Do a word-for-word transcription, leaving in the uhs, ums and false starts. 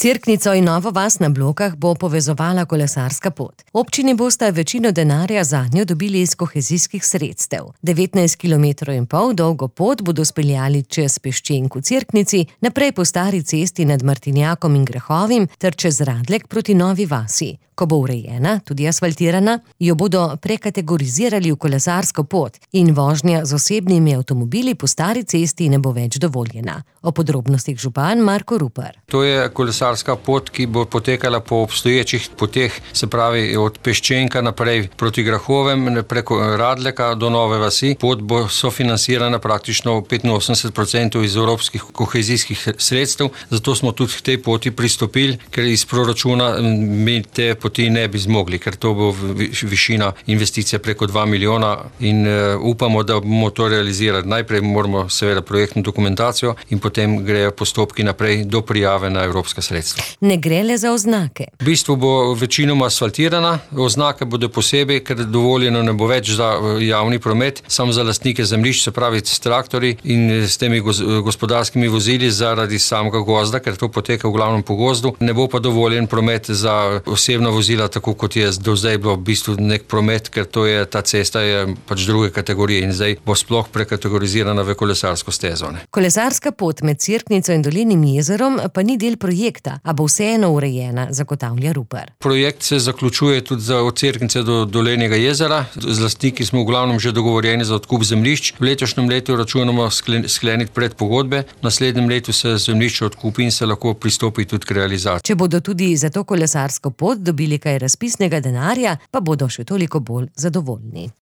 Cerknico in Novo vas na Blokah bo povezovala kolesarska pot. Občini bosta večino denarja zanjo dobili iz kohezijskih sredstev. devetnajst kilometrov in pol dolgo pot bodo speljali čez Peščenk v Cerknici, naprej po stari cesti nad Martinjakom in Grehovim ter čez Radlek proti Novi vasi. Ko bo urejena, tudi asfaltirana, jo bodo prekategorizirali v kolesarsko pot in vožnja z osebnimi avtomobili po stari cesti ne bo več dovoljena. O podrobnostih župan Marko Rupar. To je kolesarska pot, ki bo potekala po obstoječih poteh, se pravi od Peščenka naprej proti Grehovem, preko Radleka do Nove vasi. Pot bo sofinansirana praktično petinosemdeset procentov iz evropskih kohezijskih sredstev, zato smo tudi k tej poti pristopili, ker iz proračuna mi te poti ne bi zmogli, ker to bo višina investicije preko dva milijona in uh, upamo, da bomo to realizirali. Najprej moramo seveda projektno dokumentacijo in potem grejo postopki naprej do prijave na evropska sredstva. Ne gre le za oznake. V bistvu bo večinoma asfaltirana, oznake bodo posebej, ker dovoljeno ne bo več za javni promet, samo za lastnike zemljišč, se pravi s traktorji in s temi gospodarskimi vozili zaradi samega gozda, ker to poteka v glavnem po gozdu. Ne bo pa dovoljen promet za osebna vozila, tako kot je do zdaj bilo v bistvu nek promet, ker to je, ta cesta je pač druge kategorije in zdaj bo sploh prekategorizirana v kolesarsko stezo. Ne. Kolesarska pot med Cerknico in Dolinim jezerom pa ni del projekta, a bo vseeno urejena, zagotavlja Rupar. Projekt se zaključuje tudi za od Cerknice do Dolenjega jezera. Z lastniki smo v glavnem že dogovorjeni za odkup zemljišč. V letošnjem letu računamo skleniti predpogodbe, v naslednjem letu se zemljišče odkupi in se lahko pristopi tudi k realizaciji. Če bodo tudi za to kolesarsko pot dobili kaj razpisnega denarja, pa bodo še toliko bolj zadovoljni.